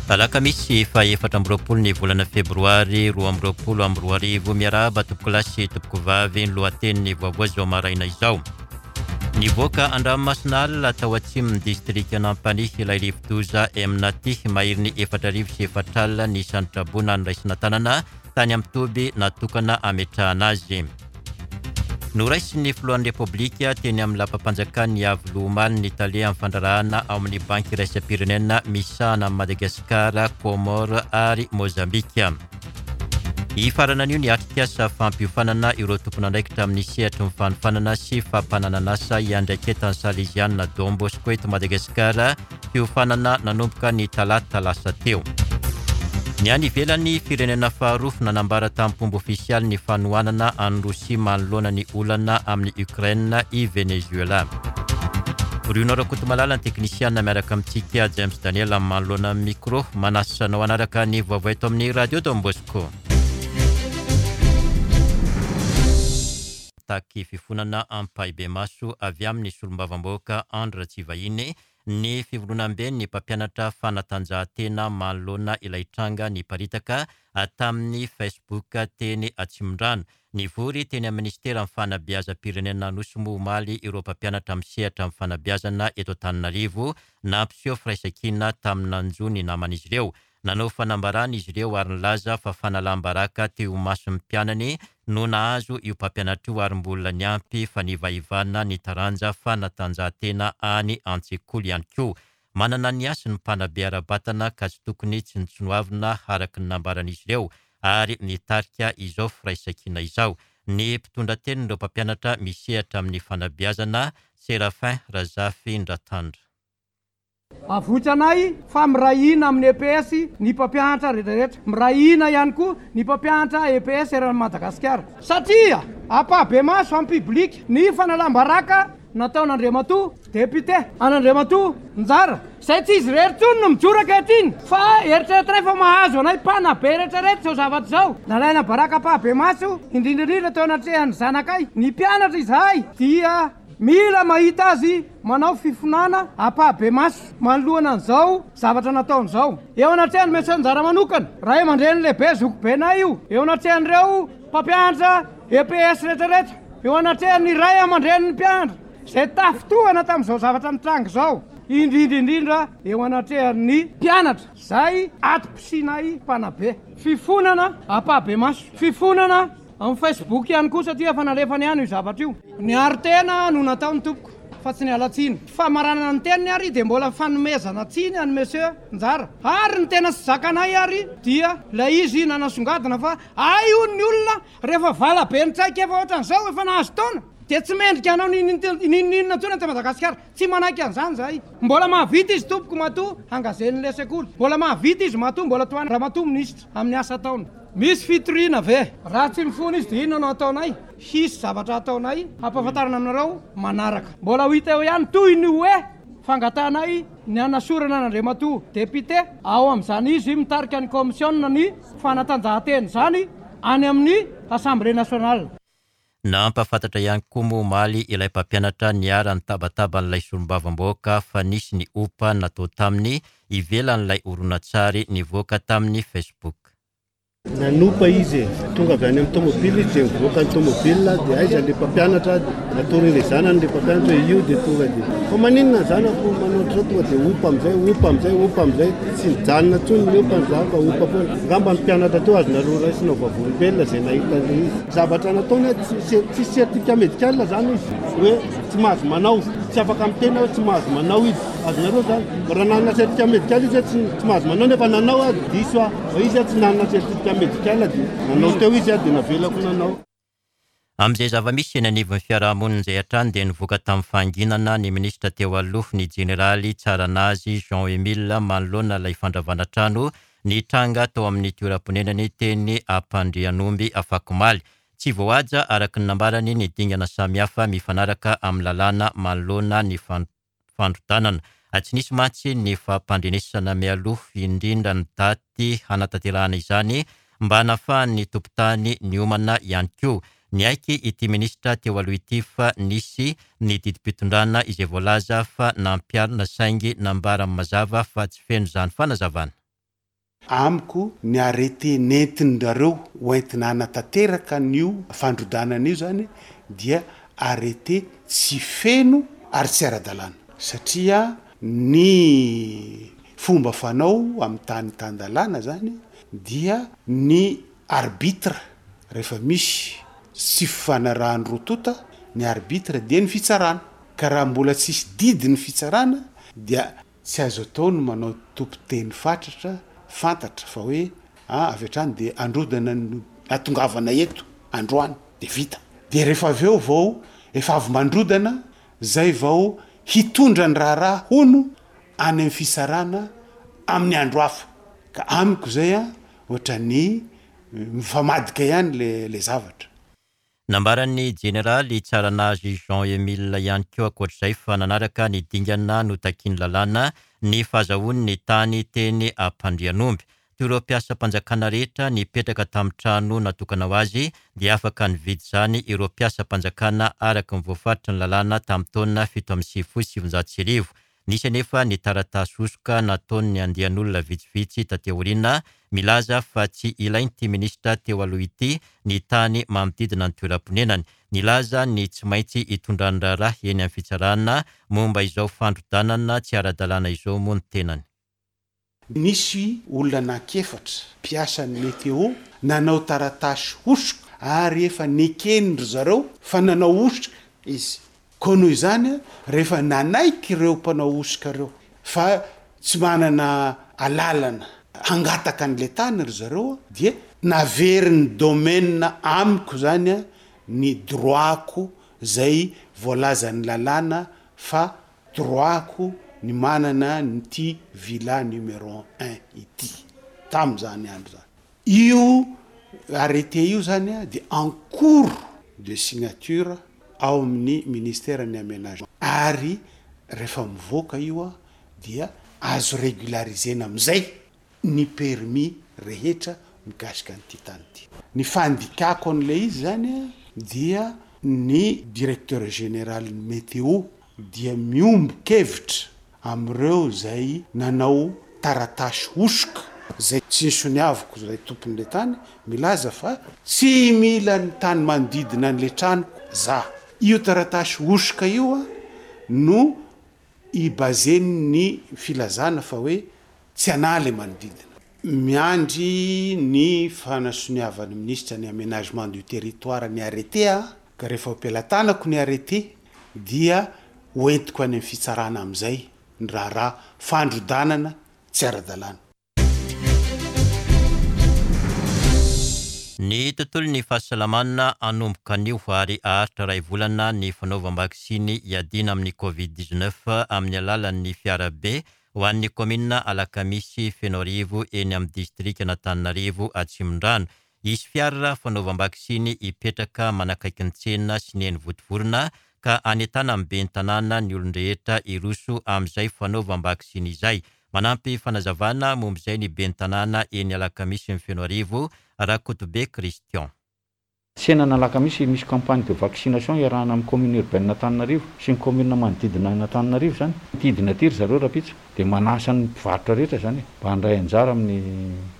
Alakamisy faha 24 ny volana febroary 2022. Miarahaba tompokolahy sy tompokovavy, ny lohatenin'ny vaovao izao maraina izao. Nivoaka an-dranomasina alina tao atsimon'ny distrikan'Ampanihy ilay rivodoza Emnati. Maherin'ny 4004 ny isan'ny traboina noraisina tanana tany amin'ny toby natokana hametrahana azy. Noraisin'ny filohan'ny Repoblika teny amin'ny lapam-panjakan'ny Iavoloha omaly ny tale amin'ny fandraharahana ao amin'ny Banky iraisam-pirenena misahana an'i Madagasikara, Comores ary Mozambika. Hifarana anio ny atrikasa fampiofanana ireo tompon'andraikitra amin'ny sehatry ny fanofanana sy fampananan'asa iandraiketan'ny Salezianina Don Bosco eto Madagasikara, fiofanana nanomboka ny talata lasa teo. Ny any ivelany, firenena faharoa nanambara tamim-pomba ofisialy ny fanohanana an'i Rosia manoloana ny olana amin'i Ukraine i Venezuela. Bruno Rakotomalala ny teknisiana miaraka amintsika James Daniel manoloana ny micro. Manasa anao hanaraka ny vaovao eto amin'ny Radio Don Bosco. Mitaky fifonana ampahibemaso avy amin'ny solombavambahoaka Andry Ratsivahiny ny fivondronamben'ny mpampianatra fanatanjahantena manoloana ilay tranga niparitaka tamin'ny Facebook teny Atsimondrano. Nivory teny amin'ny minisiteran'ny Fanabeazam-pirenena Anosy moa omaly ireo mpampianatra misehatra amin'ny fanabeazana eto Antananarivo nampiseho firaisankina tamin'ny nanjo ny naman'izy ireo. Nanao fanambarana izy ireo ary nilaza fa fanalam-baraka teo imason'ny mpianany no nahazo io mpampianatra io ary mbola niampy fanivahivana ny taranja fanatanjahantena any an-tsekoly ihany koa. Manana ny hasiny ny mpanabe ara-batana ka tsy tokony tsinontsinoavina araka ny nambaran'izy ireo ary nitarika izao firaisankina izao ny mpitondra tenin'ireo mpampianatra misehatra amin'ny fanabeazana, Séraphin Razafindratandra. Avoitra anay fa miray hina amin'ny EPS ny mpampianatra rehetrarehetra. Miray hina ihany koa ny mpampianatra EPS eran'i Madagasikara. Satria ampahibemaso en public ny fanalam-baraka nataon'Andriamatoa Député an'Andriamatoa Njara, izay tsy izy irery intsony no mijoro ankehitriny fa eritreretinay fa mahazo anay mpanabe rehetrarehetra izao zavatra izao. Nalaina baraka ampahibemaso, indrindra indrindra teo anatrehan'ny zanakay, ny mpianatra izahay dia Mila mahita azy manao fifonana ampahibemaso manoloana an'izao zavatra nataony izao. Eo anatrehan'i Monsieur Njara manokana, ray aman-dreny lehibe zokibenay io, eo anatrehan'ireo mpampianatra EPS rehetrarehetra, eo anatrehan'ny ray aman-drenin'ny mpianatra izay tafintohana tamin'izao zavatra nitranga izao, indrindra indrindra eo anatrehan'ny mpianatra izay atom-pisianay mpanabe. Fifonana ampahibemaso. Fifonana. Amin'ny Facebook ihany koa satria efa nalefany ihany io zavatra io. Niaro tena no nataony tompoko fa tsy niala tsiny. Famaranana ny teniny ary dia mbola fanomezana tsiny an'i Monsieur Njara. Ary ny tena tsy zakanay ary dia ilay izy nanasongadina fa hay hono ny olona rehefa vala be ny traikefa ohatran'izao efa nahazo taona dia tsy mendrika hanao n'inon'inona intsony eto Madagasikara. Tsy manaiky an'izany izahay. Mbola mahavita izy tompoko matoa hangazen'ilay sekoly. Mbola mahavita izy matoa mbola tohanan'i Ramatoa Minisitra amin'ny asa ataony. Misy fitoriana ve? Raha tsy mifona izy dia inona no hataonay? Hisy zavatra hataonay hampahafantarina aminareo manaraka. Mbola ho hita eo ihany toy ny hoe fangatahanay ny hanasorana an'Andriamatoa Député ao amin'izany izy mitarika ny kaomisiona ny fanatanjahantena izany any amin'ny Assemblée nationale. Nampahafantatra ihany koa moa omaly ilay mpampianatra niharan'ny tabataba-n'ilay solombavambahoaka fa nisy ny ompa natao taminy ivelan'ilay horonantsary nivoaka tamin'ny Facebook. Nanopa izy e! Tonga avy any amin'ny tomobile izy dia nivoaka ny tomobile dia aiza le mpampianatra natory le zanany le mpampianatra hoe io dia tonga dia fa maninona ny zanako manao ohatr'izao tonga dia ompa amin'izay ompa amin'izay ompa amin'izay tsy nijanona intsony ny ompa ny zanako fa ompa foana angamba ny mpianatra teo azonareo raisina ho vavolombelona izay nahita an'ilay izy zavatra nataony tsy tsisy certificat médical zany izy hoe tsy mahazo manao tsy afaka miteny hoe tsy mahazo manao izy azonareo zany raha nanana certificat médical izy hoe tsy tsy mahazo manao nefa nanao aho diso aho fa izy tsy nanana certificat médical dia nanao teo izy dia navelako nanao. Amin'izay zava-misy eny anivon'ny fiarahamonina izay hatrany dia nivoaka tamin'ny fahanginana ny minisitra teo aloha, ny jeneraly Tsaranazy Jean Emile manoloana ilay fandravana trano nitranga tao amin'ny toeram-ponenany teny Ampandrianomby afakomaly. Tsy voahaja araka ny nambarany ny dingana samihafa mifanaraka amin'ny lalàna manoloana ny fandrodanana. Tsy nisy mantsy ny fampandrenesana mialoha indrindra ny daty hanatanterahana izany mba nahafahan'ny tompon-tany niomana ihany koa. Niaiky ity minisitra teo aloha ity fa nisy ny didim-pitondrana izay voalaza fa nampiharina saingy nambarany mazava fa tsy feno izany fanazavana. Amiko ny arrêté nentin-drareo ho entina hanatanteraka an'io fandrodanana io zany dia arrêté tsy feno ary tsy ara-dalàna satria ny fomba fanao amin'ny tany tan-dalàna zany dia ny arbitre rehefa misy tsy fifanarahan'ny roa tonta ny arbitre dia ny fitsarana ka raha mbola tsisy didy ny fitsarana dia Tsy azo atao ny manao tompon-teny fatratra fantatra fa hoe a avy hatrany dia androdana no atongavana eto androany dia vita. Dia rehefa avy eo vao efa avy mandrodana zay vao hitondra ny raharaha hono any amin'ny fitsarana amin'ny andro hafa. Ka amiko zay a ohatran'ny mifamadika ihany le le zavatra. Nambaran'ny Jeneraly Tsaranazy Jean Emile ihany koa ankoatr'izay fa nanaraka ny dingana notakian'ny lalàna ny fahazahoany ny tany teny Ampandrianomby. Toy ireo mpiasam-panjakana rehetra nipetraka tamin'ny trano natokana ho azy dia afaka nividy izany ireo mpiasam-panjakana araka ny voafaritry ny lalàna tamin'ny taona 1997. Nisy anefa ny taratasy hosoka nataon'ny andian'olona vitsivitsy taty aoriana milaza fa tsy ilain'ity minisitra teo aloha ity ny tany manodidina ny toeram-ponenany. Nilaza ny tsy maintsy hitondrany raharaha eny amin'ny fitsarana momba izao fandrodanana tsy ara-dalàna izao moa ny tenany. Nisy olona anankiefatra mpiasan'ny Météo nanao taratasy hosoka ary efa neken-dry zareo fa nanao hosoka izy. Koa noho izany, rehefa nanaiky ireo mpanao hosoka ireo fa tsy manana alalana hangataka an'ilay tany ry zareo dia naverin'ny domaine amiko izany ny droit-ko izay voalazan'ny lalàna fa Droit-ko ny manana an'ity villa numéro un ity tamin'izany andro izany. Io arrêté io zany dia en cours de signature ao amin'ny ministère ny aménagement ary rehefa mivoaka io dia azo régulariser-na amin'izay ny permis rehetra mikasika an'ity tany ity. Ny fandikako an'ilay izy izany dia ny directeur général ny météo dia miombon-kevitra amin'ireo izay nanao taratasy hosoka izay tsy nisoniaviko izay tompon'ilay tany milaza fa tsy mila ny tany manodidina an'ilay tranoko za. Io taratasy hosoka io no i-baser-ny ny filazana fa hoe Tsy anah le manodidina. Miandry ny fanasoniavan'ny minisitra ny aménagement du territoire ny arrêté aho ka rehefa ho am-pelatanako ny arrêté dia ho entiko any amin'ny fitsarana amin'izay ny raharaha fandrodanana tsy ara-dalàna. Ny tontolon'ny fahasalamana hanomboka anio ary haharitra iray volana ny fanaovam-baksiny hiadiana amin'ny Covid 19 amin'ny alalan'ny fiarabe ho an'ny kaominina Alakamisy Fenoarivo eny amin'ny distrikan'Antananarivo Atsimondrano. Hisy fiara fanaovam-baksiny hipetraka manakaiky ny tsena sy ny eny Vontovorona ka hanentanan'ny ben'ny tanàna ny olon-drehetra hiroso amin'izay fanaovam-baksiny izay. Manampy fanazavana momba izay ny ben'ny tanàna eny Alakamisy Fenoarivo, Rakotobe Christian. Tsenan'Alakamisy, misy campagne de vaccination iarahana amin'ny commune urbaine Antananarivo sy ny commune manodidina an'Antananarivo izany. Hidina aty ry zareo rahampitso dia manasa ny mpivarotra rehetra izany mba handray anjara amin'ny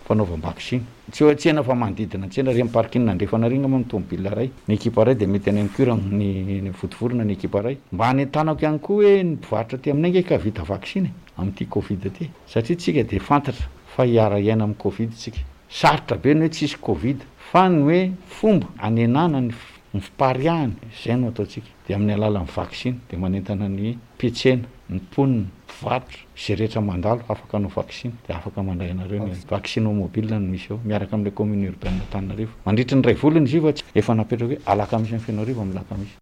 fanaovam-baksiny. Tsy eo an-tsena fa manodidina ny tsena, ireny parking andrefana ireny angamba ny tomobile iray, ny ekipa iray dia mety any amin'ny cure ny Vontovorona ny ekipa iray. Mba hanentanako ihany koa hoe ny mpivarotra aty aminay ange ka vita vaksiny amin'ity covid ity satria tsika dia fantatra fa hiara-hiaina amin'ny covid tsika. Sarotra be ny hoe tsisy covid fa ny hoe fomba hanenana ny ny fipariahany izay no ataontsika dia amin'ny alalan'ny vaksiny dia manentana ny mpiantsena, ny mponina, mpivarotra, izay rehetra mandalo afaka hanao vaksiny dia afaka mandray anareo ny vaksino mobile no misy eo miaraka amin'ilay commune urbaine Antananarivo mandritry ny iray volana izy io fa tsy efa napetraka hoe alakamisy any Fenoarivo amin'ny alakamisy.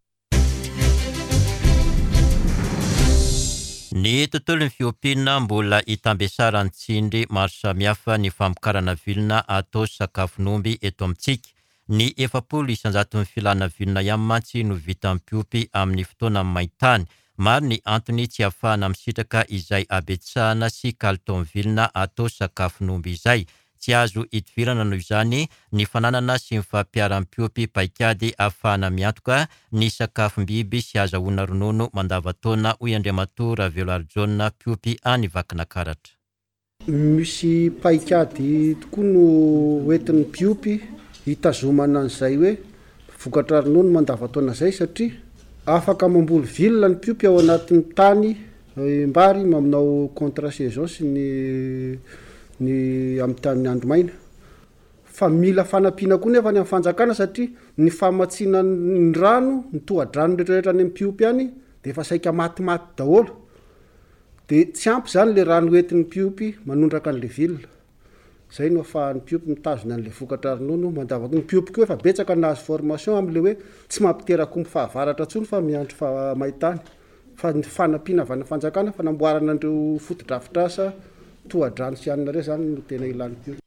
Ny tontolon'ny fiompiana mbola itambesaran'ny tsindry maro samihafa ny famokarana vilona atao sakafon'omby eto amintsika. Ny 40 isan-jaton'ny filana vilona ihany mantsy no vitan'ny mpiompy amin'ny fotoanan'ny main-tany. Maro ny antony tsy ahafahana misitraka izay habetsahana sy kalitaon'ny vilona atao sakafon'omby izay. Tsy azo idivirana noho izany ny fananana sy ny fampiharam-piompy paikady ahafahana miantoka ny sakafom-biby sy azahoana ronono mandavantaona, hoy Andriamatoa Raveloarijaona, mpiompy any Vakinakaratra. Misy paikady tokoa no hoentin'ny mpiompy hitazomana an'izay hoe vokatra ronono mandavantaona izay satria afaka mamboly vilona ny mpiompy ao anatin'ny tany mbary manao contre saison sy ny ny amin'ny tany andro maina. Fa mila fanampiana koa nefa ny amin'ny fanjakana satria ny famatsiana ny rano, ny tohadrano rehetrarehetra any amin'ny mpiompy any dia efa saika matimaty daholo. Dia tsy ampy izany ilay rano hoentin'ny mpiompy manondraka an'ilay ville. Izay no ahafahan'ny mpiompy mitazona an'ilay vokatra ronono mandava-taona. Ny mpiompy koa efa betsaka nahazo formation amin'ilay hoe tsy mampiteraka omby fahavaratra intsony fa miandry main-tany. Fa ny fanampiana avy any amin'ny fanjakana, fanamboarana an'ireo fotodrafitrasa tohadrano sy anona ireo izany no tena ilan'ny mpiompy.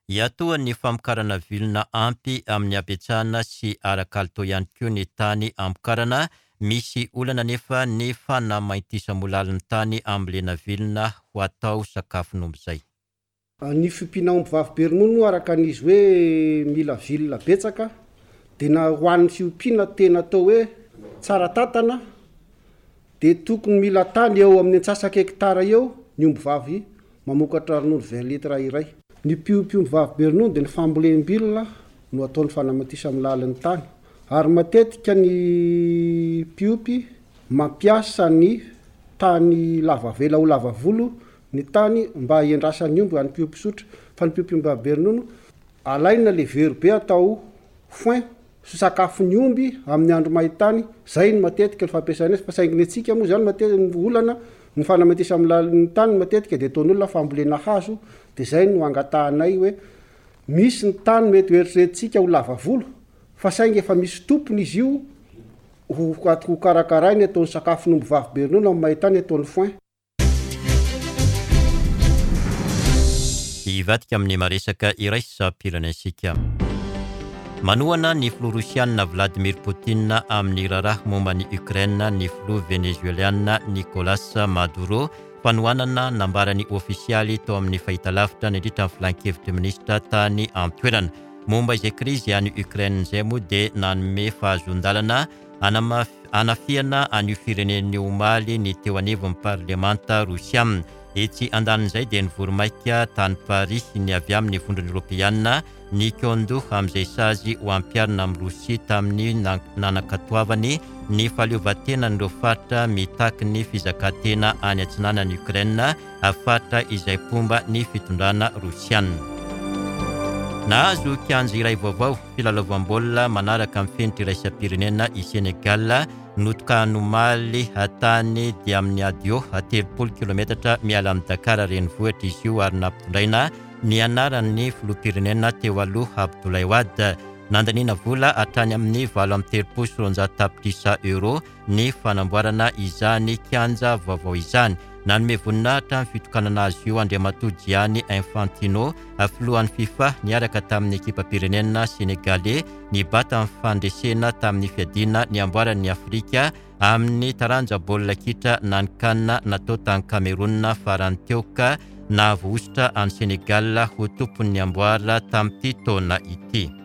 Iatohan'ny famokarana vilona ampy amin'ny habetsahana sy ara-kalitao ihany koa ny tany amokarana. Misy olana anefa ny fanamaintisamolalin'ny tany ambolena vilona ho atao sakafon'omby izay. Ny fiompiana omby vavy be ronono araka ny izy hoe mila vilona betsaka dia na ho an'ny fiompiana tena atao hoe tsara tantana dia tokony mila tany eo amin'ny antsasaka hektara eo ny omby vavy Mamokatra ronono 20 litres iray. Ny mpiompy omby vavy be ronono dia ny fambolem-bilona no ataony fanamantisa amin'ny lalin'ny tany ary matetika ny mpiompy mampiasa ny tany lava avela ho lava volo ny tany mba hiandrasan'ny omby any mpiompy sotra fa ny mpiompy omby vavy be ronono alaina le vero be atao foin sy sakafon'ny omby amin'ny andro main-tany, zay no matetika ny fampiasana azy, fa saingy ny antsika moa zany matetika ny olana, ny fanamaintisa amin'ny lalin'ny tany matetika dia ataon'olona fambolena hazo, dia zay no angatahanay hoe misy ny tany mety ho eritreretintsika ho lava volo, fa saingy efa misy tompony izy io ho ho karakarainy ataony sakafon'omby vavy be ronono amin'ny main-tany ataony foin. Hivadika amin'ny maresaka iraisam-pirenentsika. Manohana ny filoha rosianina Vladimir Putin amin'ny raharaha momba an'i Ukraine ny filoha venezueliana Nicolas Maduro. Fanohanana nambarany ofisialy tao amin'ny fahitalavitra nandritra ny filankevitry minisitra tany an-toerana. Momba izay krizy any Ukraine izay moa dia nanome fahazoan-dalana Hanafihana an'io firenena io omaly ny teo anivon'ny parlemanta rosiana. Etsy andanin'izay dia nivory maika tany Paris ny avy amin'ny Vondrona Eoropeana nikaon-doha amin'izay sazy ho ampiharina amin'i Rosia tamin'ny nanakatoavany ny fahaleovantenan'ireo faritra mitaky ny fizakan-tena any atsinanan'i Ukraine faritra izay mpomba ny fitondrana rosiana. Nahazo kianja iray vaovao filalaovam-baolina manaraka ny fenitra iraisam-pirenena i Sénégal, notokahany omaly tany Diamniadio, 30 kilometatra miala amin'i Dakar renivohitra izy io ary nampitondraina ny anaran'ny filoham-pirenena teo aloha Abdoulaye Wade. Nandaniana vola hatrany amin'ny 238 tapitrisa euros ny fanamboarana izany kianja vaovao izany. Nanome voninahitra ny fitokanana azy io Andriamatoa Gianni Infantino, filohan'ny Fifa, niaraka tamin'ny ekipam-pirenena Senegaley nibata ny fandresena tamin'ny fiadiana ny amboaran'ny Afrika amin'ny taranja baolina kitra na ny Can natao tany Cameroun farany teo ka nahavoahosotra an'i Senegal ho tompon'ny amboara tamin'ity taona ity.